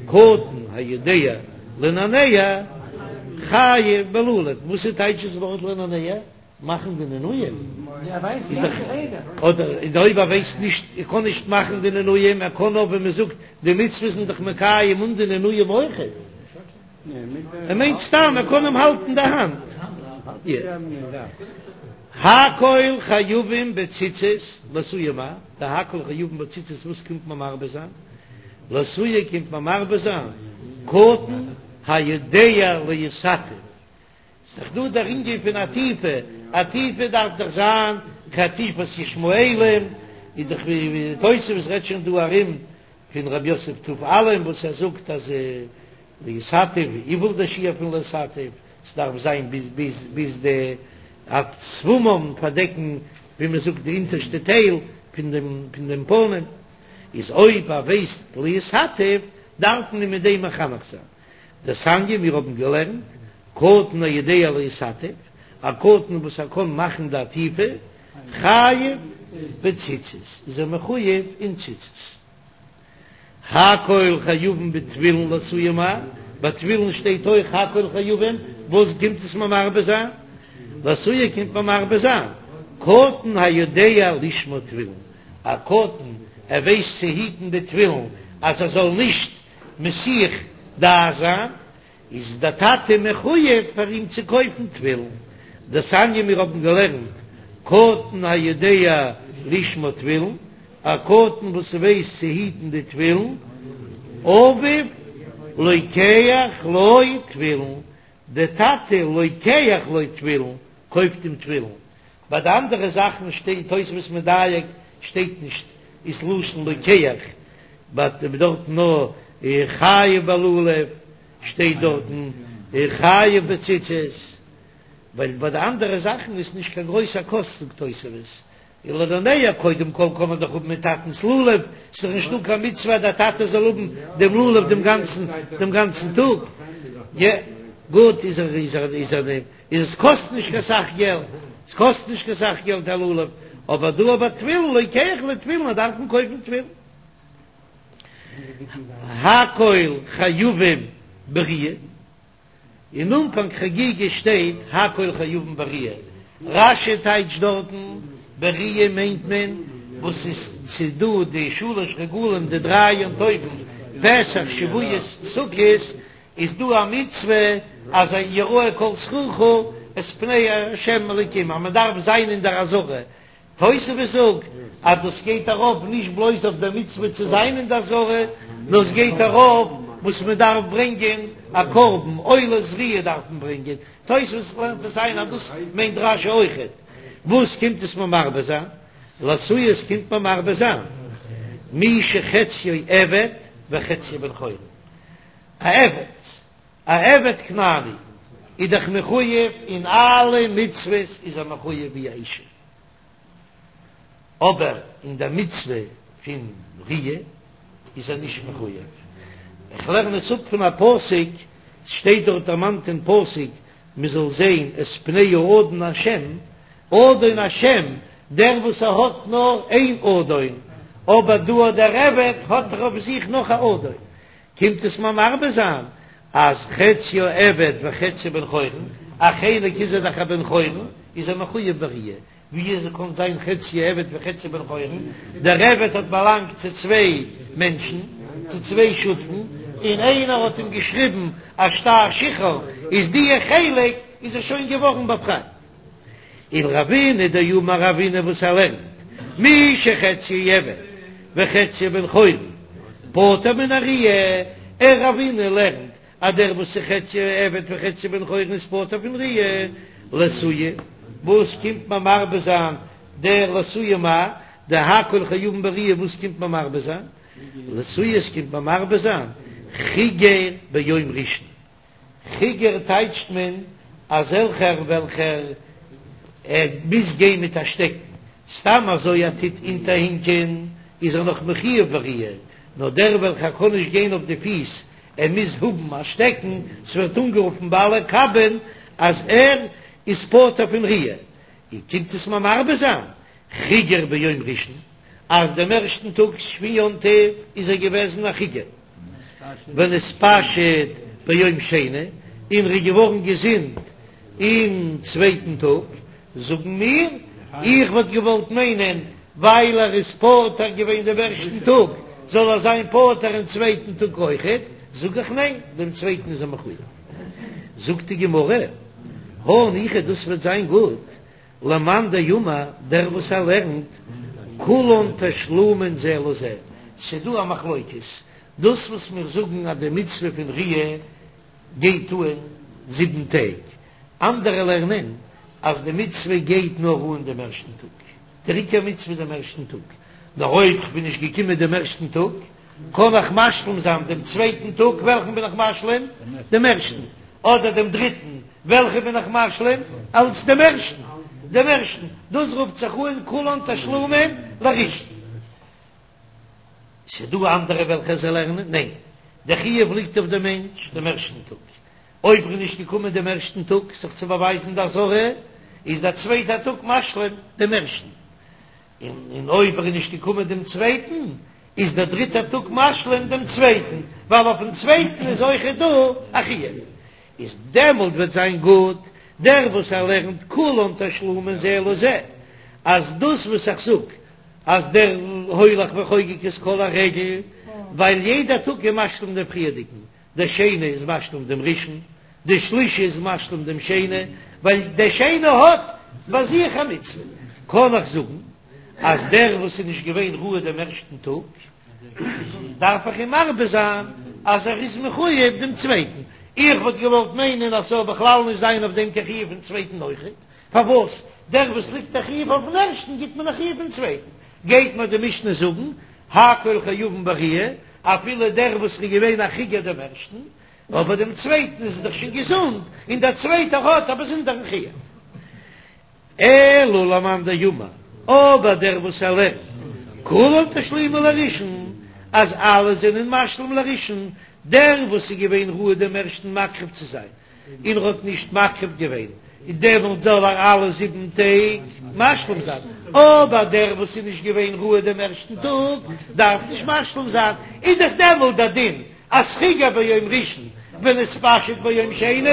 קטן היודע לנענע חייב בלולב, וואס איז טייטש דאס ווארט לנענע? מאכן די נענועים, אדער אויב ער ווייסט נישט, ער קען נישט מאכן די נענועים, ער קען נאר ווי מען זאגט, די מצוות זענען דאך מקיים אן די נענועים אויכעט, ער מיינט סתם ער קען אים האלטן די האנט. הכל חייבים בציצית, לאתויי מאי, די הכל חייבים בציצית וואס קומט מען מרבה זיין? לאתויי קומט מען מרבה זיין, קטן היודע להתעטף. ס'איז דאך דא דער ענין פון עטיפה, עטיפה דארף דאך זיין כעטיפת ישמעאלים, איז דאך ווי תוספות רעדט שוין דא ארום פון רב יוסף טוב עלם וואס ער זאגט אז להתעטף וויפיל דער שיעור פון להתעטף, ס'דארף זיין ביז ביז ביז די עד שפמם פארדעקן ווי מ'זאגט די אונטערשטע טייל פון דעם פון דעם פנים, איז אויב ער ווייסט להתעטף דארף מען אים מיט דעם מחנך זיין. דתניא מיר האבן געלערנט, קטן היודע להתעטף, א קטן וואס ער קען מאכן די עטיפה, חייב בציצית, איז ער מחויב אין ציצית. הכל חייבין בתפילין לאתויי מאי, ביי תפילין שטייט אויך הכל חייבין, וואס קומט עס מיר מרבה זיין? לאתויי קומט מיר מרבה זיין, קטן היודע לשמור תפילין, א קטן ער ווייסט צו היטן די תפילין אז ער זאל נישט מסיח דעת זיין, איז דער טאטע מחויב פאר אים צו קויפן תפילין. דתניא מיר האבן געלערנט קטן היודע לשמור תפילין, א קטן וואס ווייסט צו היטן די תפילין, אביו לוקח לו תפילין, דער טאטע לוקח לו תפילין, קויפט אים תפילין. ביי די אנדערע זאכן שטייט תוספות מדייק שטייט נישט איז לשון לוקח, באט דארטן נאר חייב בלולב שטייט דארטן חייב בציצית, ווייל ביי די אנדערע זאכן איז נישט קיין גרויסע קאסט זאגט תוספות, און לנענע קודם כל קען מען דאך האבן מיט טאטנס לולב, ס'איז דאך נישטא קיין מצוה אז דער טאטע זאל האבן דעם לולב דעם גאנצן דעם גאנצן טאג, יע גוט איז ער איז ער איז ער איז עס קאסט נישט קיין סך געלט, עס קאסט נישט קיין סך געלט א לולב, אבער דא אבער תפילין לוקח לו תפילין אז דארף מען קויפן תפילין. הכל חייבים בראיה, אין אנפאנג חגיגה שטייט הכל חייבים בראיה, רש"י טייטשט דארטן בראיה מיינט מען וואס איז ס'דא די שלש רגלים די דריי יום טובים פסח שבועות סוכות, איז דא א מצוה אז יראה כל זכורך את פני ה' אלוקים אז מען דארף זיין אין דער עזרה, תוספות זאגט אז דאס גייט ארויף נישט בלויז אויף דער מצוה צו זיין אין דער עזרה, נאר עס גייט ארויף וואס מען דארף ברענגען א קרבן עולת ראיה דארף מען ברענגען, תוספות לערנט עס איין אז דאס מיינט רש"י אויכעט, וואס קומט עס מיר מרבה זיין? לאתויי עס קומט מיר מרבה זיין מי שחציו עבד וחציו בן חורין. א עבד, א עבד כנעני איז דאך מחויב אין אלע מצוות איז ער מחויב ווי א אישה, אבער אין דער מצוה פון ראיה איז ער נישט מחויב. איך לערן עס אפ פון א פסוק, ס'שטייט דארט דערמאנט אין פסוק מען זאל זען את פני האדון השם, אדון השם, דער וואס ער האט נאר איין אדון, אבער דא דער עבד האט דאך אויף זיך נאך א אדון, קומט עס מיר מרבה זיין אז חציו עבד וחציו בן חורין, א חלק איז ער דאך א בן חורין, איז ער מחויב בראיה, ווי אזוי קען זיין חציו עבד וחציו בן חורין, דער עבד האט באלאנגט צו צוויי מענטשן, צו צוויי שותפים, און איינער האט אים געשריבן א שטר שחרור, איז דיע חלק איז ער שוין געווארן באפרייט. ולרבינא דאמר רבינא וואס ער לערנט מי שחציו עבד וחציו בן חורין פטור מן הראיה. ער רבינא לערנט אז דער וואס איז חציו עבד וחציו בן חורין איז פטור פון ראיה, לאתויי, וואס קומט מען מרבה זיין דער לאתויי מאי דהכל חייבין בראיה וואס קומט מען מרבה זיין? לאתויי עס קומט מען מרבה זיין חיגר ביום ראשון. חיגר טייטשט מען אזעלכער וועלכער ער מוז גיין מיט א שטעקן, סתם אזוי ער טוט אונטערהינקען איז ער נאך מחויב בראיה, נאר דער וועלכער קען נישט גיין אויף די פיס ער מוז האבן א שטעקן, ס'ווערט אנגערופן בעלי קבין אז ער איז פטור פון ראיה, און קומט עס מיר מרבה זיין חיגר ביום ראשון אז דעם ערשטן טאג פון יום טוב איז ער געוועזן א חיגר. ונתפשט ביום שני, און ער איז געווארן געזונט אין צווייטן טאג, זאגן מיר, איך וואלט געוואלט מיינען, ווייל ער איז פטור געווען דעם ערשטן טאג, זאל ער זיין פטור אין צווייטן טאג אויכעט, זאג איך ניין, דעם צווייטן איז ער מחויב. זאגט די גמרא, הניחא דאס וועט זיין גוט, למאן דאמר, דער וואס ער לערנט, כולן תשלומין זה לזה, ס'דא א מחלוקת, דאס וואס מיר זאגן אז די מצוה פון ראיה גייט אן זיבן טעג, אנדערע לערנען אז די מצוה גייט נאר אן דעם ערשטן טאג, דער עיקר מצוה דעם ערשטן טאג, נאר אויב כ'בין נישט געקומען דעם ערשטן טאג, קען איך משלים זיין דעם צווייטן טאג, וועלכן בין איך משלים? דעם ערשטן. אדער דעם דריטן, וועלכע בין איך משלים? אלץ דעם ערשטן. דעם ערשטן. דאס רופט זיך אן כולן תשלומין לראשון. ס'דא אנדערע וועלכע זיי לערנען, ניין, דער חיוב ליגט אויף דעם מענטש דעם ערשטן טאג. אויב ער איז נישט געקומען דעם ערשטן טאג זיך צו באווייזן די עזרה, איז דער צווייטער טאג משלים דעם ערשטן. און אויב ער איז נישט געקומען דעם צווייטן, איז דער דריטער טאג משלים דעם צווייטן, ווייל אויפן צווייטן איז אויכעט דא א חיוב. איז דעמאלט וועט זיין גוט דער וואס ער לערנט כולן תשלומין זה לזה, אז דאס וואס איך זאג אז דער הולך וחוגג את כל הרגל, ווייל יעדער טאג איז משלים דעם פריערדיגן, דער שני איז משלים דעם ראשון, דער שלישי איז משלים דעם שני, ווייל דער שני האט ביי זיך א מצוה. קען איך זאגן אז דער וואס איז נישט געווען ראוי דעם ערשטן טאג, דארף איך אים מרבה זיין אז ער איז מחויב דעם צווייטן. איך וואלט געוואלט מיינען אז ס'זאל בכלל נישט זיין אויף דעם קיין חיוב פון צווייטן אויכעט. פארוואס דער וואס ליגט א חיוב אויפן ערשטן גיט מען א חיוב פון צווייטן? גייט מיר די משנה זאגן הכל חייבין בראיה, אפילו דער וואס איז געווען א חיגר דעם ערשטן, אבער דעם צווייטן איז ער דאך שוין געזונט, און דער צווייטער האט א באזונדערן חיוב. אלא למאן דאמר, אבער דער וואס ער לערנט כולן תשלומין לראשון, אז אלע זענען משלים לראשון, דער וואס איז געווען ראוי דעם ערשטן מקריב צו זיין, און ער האט נישט מקריב געווען, און דעמאלט זאל ער אלע זיבן טעג משלים זיין, אבער דער וואס איז נישט געווען ראוי דעם ערשטן טאג דארף נישט משלים זיין, איז דאך דעמאלט דער דין אז חיגר ביום ראשון ונתפשט ביום שני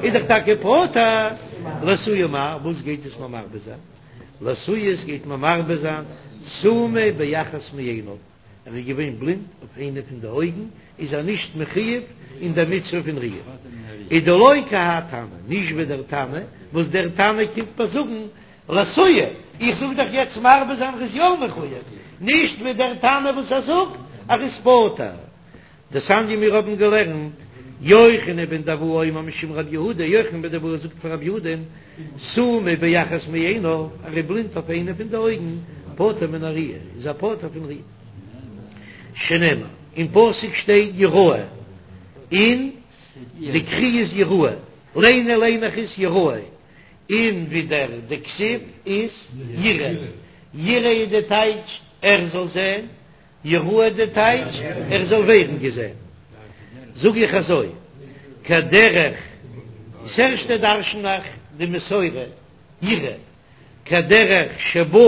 איז דאך טאקע פטור, לאתויי מאי, וואס גייט עס מיר מרבה זיין? לאתויי עס גייט מיר מרבה זיין סומא באחת מעיניו. ער איז געווען בלינד אויף איינע פון די אויגן, איז ער נישט מחויב אין דער מצוה פון ראיה. איז דלא כי האי תנא, נישט ווי דער תנא, וואס דער תנא קומט מיר זאגן לאתויי, איך זאג דאך יעצט מרבה זיין ער איז יא מחויב, נישט ווי דער תנא וואס ער זאגט אז ער איז פטור. דתניא מיר האבן געלערנט, יוחנן בן דהבאי אומר משום רב יהודה, יוחנן בן דהבאי זאגט פון רב יהודה, סומא באחת מעיניו, ער איז בלינד אויף איינע פון די אויגן, פטור מן הראיה, איז ער פטור פון ראיה. שנאמר, אין פסוק שטייט יראה, און די קרי איז יראה, ליינען ליין איך עס יראה, און ווידער די כתיב איז יראה, יראה איז די טייטש ער זאל זען, יראה די טייטש ער זאל ווערן געזען, זאג איך אזוי, כדרך ס'ערשטע דרשן איך די מסורה יראה, כדרך שבא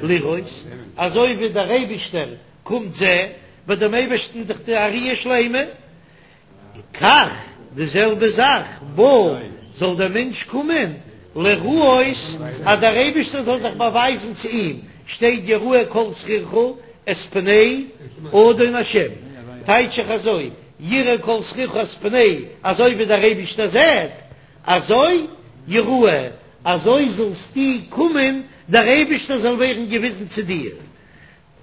לראות, אזוי ווי דער אייבישטער קומט זען, ביי דעם אייבערשטן איז דאך די ראיה שלימה, כך, די זעלבע זאך, בא, זאל דער מענטש קומען, לראות, אז דער אייבערשטער זאל זיך באווייזן צו אים, שטייט יראה כל זכורך את פני אדון השם, טייטש איך אזוי, יראה כל זכורך את פני, אזוי ווי דער אייבערשטער זעט, אזוי יראה, אזוי זאלסטו קומען, דער אייבערשטער זאל ווערן געוויזן צו דיר.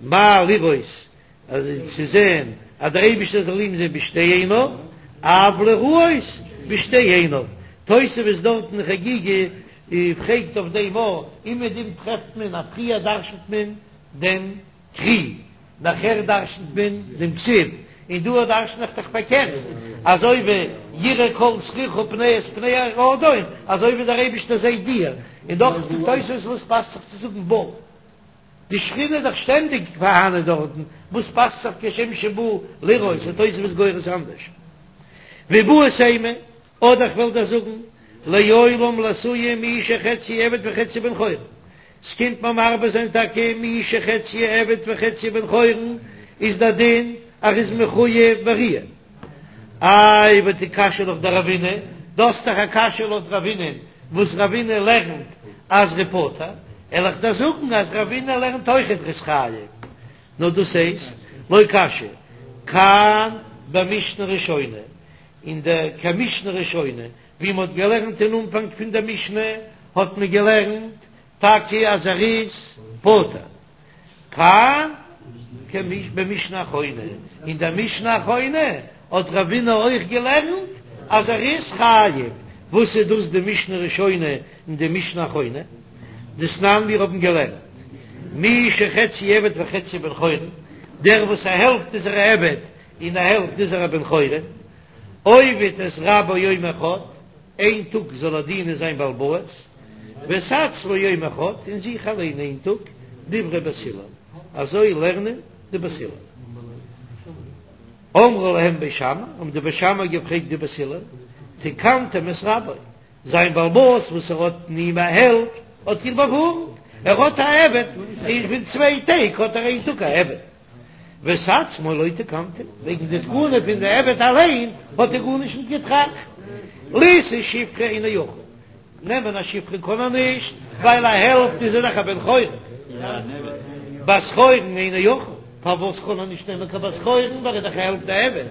מה לראות, אז צו זען. אז דער אייבישטער זאל אים זען בשתי עיניו, אף לראות בשתי עיניו. תוספות דארט אין חגיגה פרעגט אויף דעם א, אומעדום טרעפט מען אז פריער דרשנ'ט מען דעם קרי, נאכער דרשנ'ט מען דעם כתיב, און דא דרשן איך דאך פארקערט, אזוי ווי יראה כל זכורך פני את פני האדון, אזוי ווי דער אייבישטער זעט דיר, און דאך זאגט תוספות וואס פאסט זיך צו זאגן בא. די שכינה איז דאך שטענדיג פארהאנען דארטן, וואס פאסט זיך כשם שבא לראות, איז תוספות גורס אנדערש. ואיבעית אימא, אדער איך וועל דיר זאגן, לעולם לאתויי מי שחציו עבד וחציו בן חורין, ס'קומט מיר מרבה זיין טאקע מי שחציו עבד וחציו בן חורין, איז דער דין אז ער איז מחוייב בראיה. איי ותקשיא לך דרבינא, דו האסט דאך א קשיא לויט רבינא'ן, וואס רבינא לערנט אז ר'איז פטור, וועל איך דיר זאגן אז רבינא לערנט אויכעט ר'איז חייב, נאר דאס הייסט לא קשיא, כאן במשנה ראשונה, אין דער כמשנה ראשונה, ווי מ'האט געלערנט אין אנפאנג פון דער משנה, האט מען געלערנט טאקע אז ער איז פטור. כאן במשנה אחרונה, אין דער משנה אחרונה האט רבינא אויך געלערנט אז ער איז חייב, וואס איז דאס די משנה ראשונה און די משנה אחרונה? דתנן מיר האבן געלערנט מי שחציו עבד וחציו בן חורין, דער וואס א העלפט איז ער א עבד און א העלפט איז ער א בן חורין, עובד את רבו יום אחד, איין טאג זאל ער דינען זיין בעל הבית, ואת עצמו יום אחד, און זיך אליין איין טאג, דברי בית הלל, אזוי לערנען די בית הלל. אמרו להם בית שמאי, האבן די בית שמאי געפרעגט די בית הלל, תקנתם את רבו, זיין בעל הבית וואס ער האט אין אים א העלפט, האט איר באווארנט, ער האט א עבד, און פון צוויי טעג האט ער איין טאג א עבד. ואת עצמו לא תקנתם, וועגן די תקנה פון די עבד אליין האט ער גארנישט נישט געטראכט. לישא שפחה אינו יכול, נעמען א שפחה קען ער נישט, ווייל א העלפט איז ער דאך א בן חורין. בת חורין אינו יכול, פארוואס קען ער נישט נעמען קיין בת חורין, ווייל ער איז דאך א העלפט א עבד.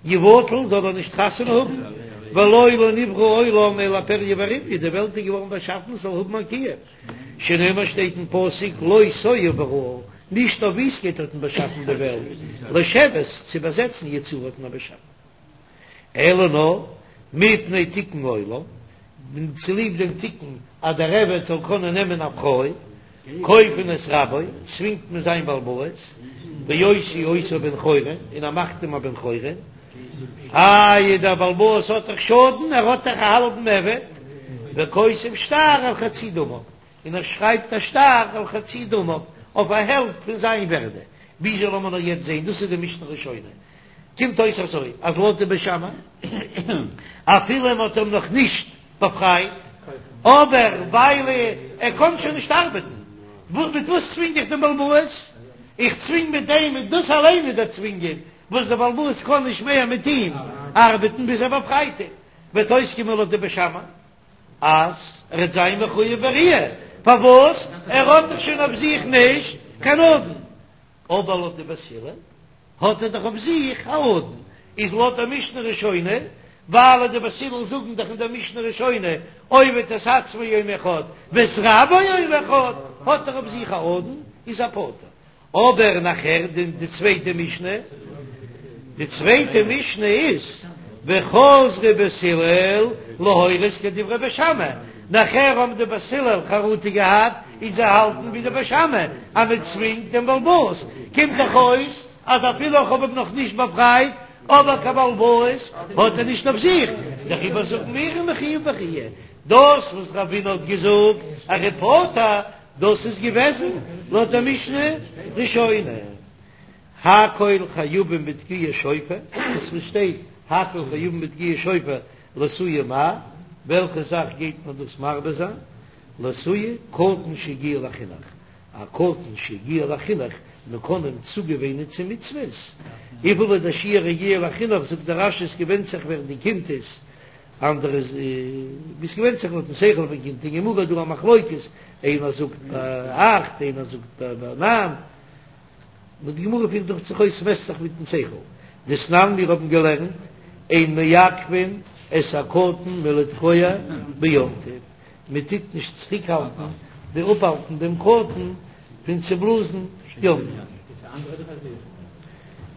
יבטל זאל ער נישט חתונה האבן, והלא לא נברא העולם אלא לפריה ורביה, די וועלט איז געווארן באשאפן ס'זאל האבן א קיום. שנאמר שטייט אין פסוק לא תוהו בראה, נישט אויף וויסטקייט האט מען באשאפן די וועלט, לשבת, צו באזעצן יצרה האט מען באשאפן. אלא נאר מפני תיקון עולם, צוליב דעם תיקון אז דער עבד זאל קענען נעמען א פרוי, כופין את רבו, צווינגט מען זיין בעל הבית, ועושה אותו בן חורין, און ער מאכט אים א בן חורין. איי דער בעל הבית האט דאך שאדן, ער האט דאך א האלבן עבד, וכותב שטר על חצי דמיו, און ער שרייבט א שטר על חצי דמיו, אויף א העלפט פון זיין ווערדע, וויאזוי לאמיר נאר יעצט זעהן, דאס איז די משנה ראשונה, קומט אויס אזוי, אז לויט די בית שמאי, אפילו מען האט אים נאך נישט באפרייט, אבער ווייל ער קען שוין נישט ארבעטן, מיט וואס צווינג איך דעם בעל הבית? איך צווינג מיט דעם, און דאס אליין איז דער צווינגען, וואס דער בעל הבית קען נישט מער מיט אים ארבעטן ביז ער באפרייט אים, וועט אויסקומען לויט די בית שמאי אז ער וועט זיין מחויב בראיה, פארוואס ער האט דאך שוין אויף זיך נישט קיין אדון, אבער לויט די בית הלל האט ער דאך אויף זיך א אדון, איז לויט די משנה ראשונה, ווייל די בית הלל זאגן דאך אין דער משנה ראשונה עובד את עצמו יום אחד ואת רבו יום אחד, האט ער אויף זיך א אדון, איז ער פטור. אבער נאכער די די צווייטע משנה, די צווייטע משנה איז וחזרו בית הלל להורות כדברי בית שמאי, נאכער האבן די בית הלל חרטה געהאט און זיי האלטן ווי די בית שמאי אז מען צווינגט דעם בעל הבית, קומט דאך אויס אז אפילו איך האב אים נאך נישט באפרייט אבער קיין בעל הבית האט ער נישט אויף זיך, דעריבער זאגן מיר מחויב בראיה, דאס וואס רבינא האט געזאגט אז ער איז פטור דאס איז געוועזן לויט דער משנה ראשונה, הכל חייבין בתקיעת שופר, דאס וואס שטייט הכל חייבין בתקיעת שופר לאתויי מאי, וועלכע זאך גייט מען דאס מרבה זיין, לאתויי קטן שהגיע לחינוך, א קטן שהגיע לחינוך, מען קען אים צוגעוואינען צו מצוות, וויפיל איז דער שיעור הגיע לחינוך, זאגט דער רש"י עס געווענדט זיך ווער די קינד איז, אנדערע איז ווי ס'געווענדט זיך לויטן שכל פון קינד, אין גמרא איז דא א מחלוקת, איינער זאגט ביי אכט איינער זאגט ביי ניין, נאר די גמרא פירט דאך זיך אויס ס'מעסט זיך מיטן שכל, דתנן מיר האבן געלערנט אין מעכבין את הקטן מלתקוע ביום טוב, מען טוט נישט צוריקהאלטן די אפהאלטן דעם קטן פון צו בלאזן יום טוב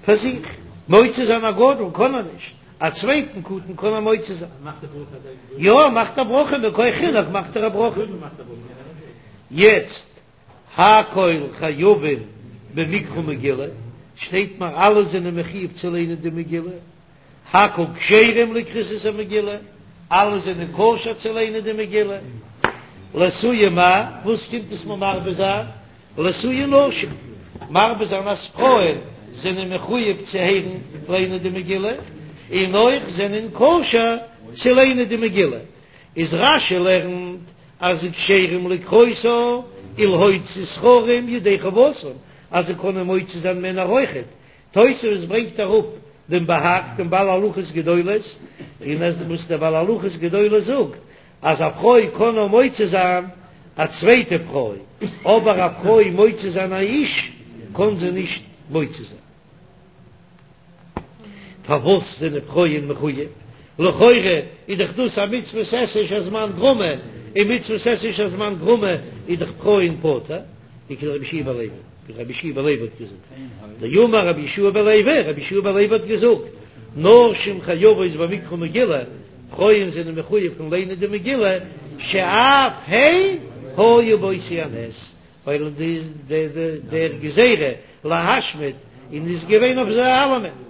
פאר זיך. מוציא זיין א גדול קען ער נישט, א צווייטן קטן קען ער מוציא זיין. יא, מאכט א ברכה, מכח חינוך מאכט ער א ברכה. יעצט, הכל חייבין במקרא מגילה, שטייט מיר אלע זענען מחיוב צו ליינען די מגילה, הכל כשרים לקראת המגילה, אלע זענען כשר צו ליינען די מגילה. לאתויי מאי, וואס קומט עס מיר מרבה זיין? לאתויי נשים, מרבה זיין אז פרויען זענען מחויב צו הערן ליינען די מגילה, און אויך זענען כשר צו ליינען די מגילה. איז רש"י לערנט אז כשרים לקרותה ולהוציא זכרים ידי חובתן, אז זיי קענען מוציא זיין מענער אויכעט, תוספות ברענגט אראפ דעם בה"ג דעם בעל הלכות גדולות, און אז וואס דער בעל הלכות גדולות זאגט אז א פרוי קען נאר מוציא זיין א צווייטע פרוי, אבער א פרוי מוציא זיין א איש קען זי נישט מוציא זיין. פארוואס זענען פרויען מחויב? לכאורה איז דאך דאס א מצוות עשה שהזמן גרמא, און מצוות עשה שהזמן גרמא איז דאך פרויען פטור, וכדרבי יהושע בן לוי. ווי רבי יהושע בן לוי האט געזאגט, דאמר רבי יהושע בן לוי, רבי יהושע בן לוי האט געזאגט, נשים חייבות במקרא מגילה, פרויען זענען מחויב פון ליינען די מגילה, שאף הן היו באותו הנס, ווייל דער גזירה להשמיד און איז געווען אויף זיי אלעמען.